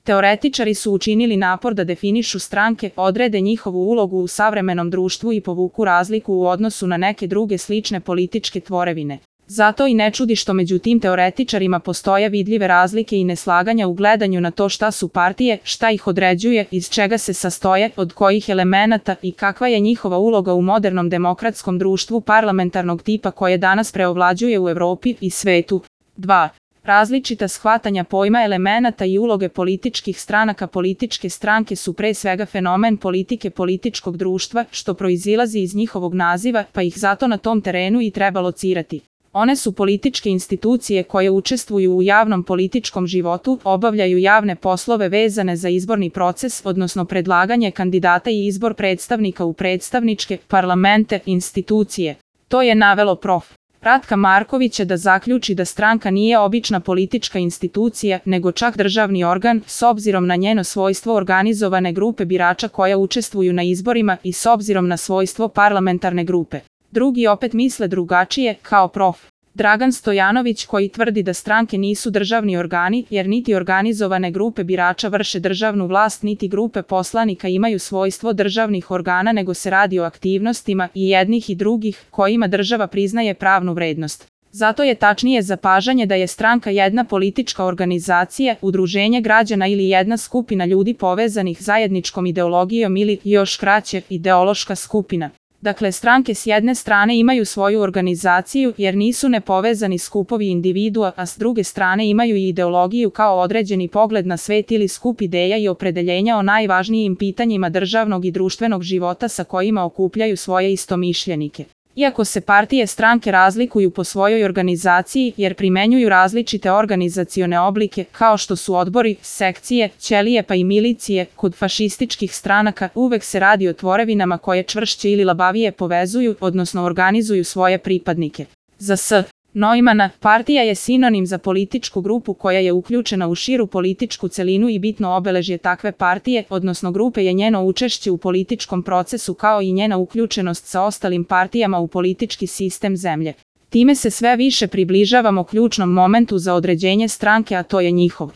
Teoretičari su učinili napor da definišu stranke, odrede njihovu ulogu u savremenom društvu i povuku razliku u odnosu na neke druge slične političke tvorevine. Zato i ne čudi što među tim teoretičarima postoje vidljive razlike i neslaganja u gledanju na to šta su partije, šta ih određuje, iz čega se sastoje, od kojih elemenata i kakva je njihova uloga u modernom demokratskom društvu parlamentarnog tipa koje danas preovlađuje u Evropi i svetu. 2. Različita shvatanja pojma elemenata i uloge političkih stranaka. Političke stranke su pre svega fenomen politike političkog društva, što proizilazi iz njihovog naziva, pa ih zato na tom terenu i treba locirati. One su političke institucije koje učestvuju u javnom političkom životu, obavljaju javne poslove vezane za izborni proces, odnosno predlaganje kandidata i izbor predstavnika u predstavničke, parlamente, institucije. To je navelo prof. Ratka Markovića da zaključi da stranka nije obična politička institucija, nego čak državni organ, s obzirom na njeno svojstvo organizovane grupe birača koja učestvuju na izborima i s obzirom na svojstvo parlamentarne grupe. Drugi opet misle drugačije, kao prof. Dragan Stojanović koji tvrdi da stranke nisu državni organi, jer niti organizovane grupe birača vrše državnu vlast, niti grupe poslanika imaju svojstvo državnih organa, nego se radi o aktivnostima i jednih i drugih kojima država priznaje pravnu vrednost. Zato je tačnije zapažanje da je stranka jedna politička organizacija, udruženje građana ili jedna skupina ljudi povezanih zajedničkom ideologijom ili, još kraće, ideološka skupina. Dakle, stranke s jedne strane imaju svoju organizaciju jer nisu nepovezani skupovi individua, a s druge strane imaju i ideologiju kao određeni pogled na svet ili skup ideja i opredeljenja o najvažnijim pitanjima državnog i društvenog života sa kojima okupljaju svoje istomišljenike. Iako se partije stranke razlikuju po svojoj organizaciji jer primenjuju različite organizacione oblike kao što su odbori, sekcije, ćelije pa i milicije, kod fašističkih stranaka uvek se radi o tvorevinama koje čvršće ili labavije povezuju, odnosno organizuju svoje pripadnike. Za S. Neumana, partija je sinonim za političku grupu koja je uključena u širu političku celinu i bitno obeležje takve partije, odnosno grupe je njeno učešće u političkom procesu kao i njena uključenost sa ostalim partijama u politički sistem zemlje. Time se sve više približavamo ključnom momentu za određenje stranke, a to je njihov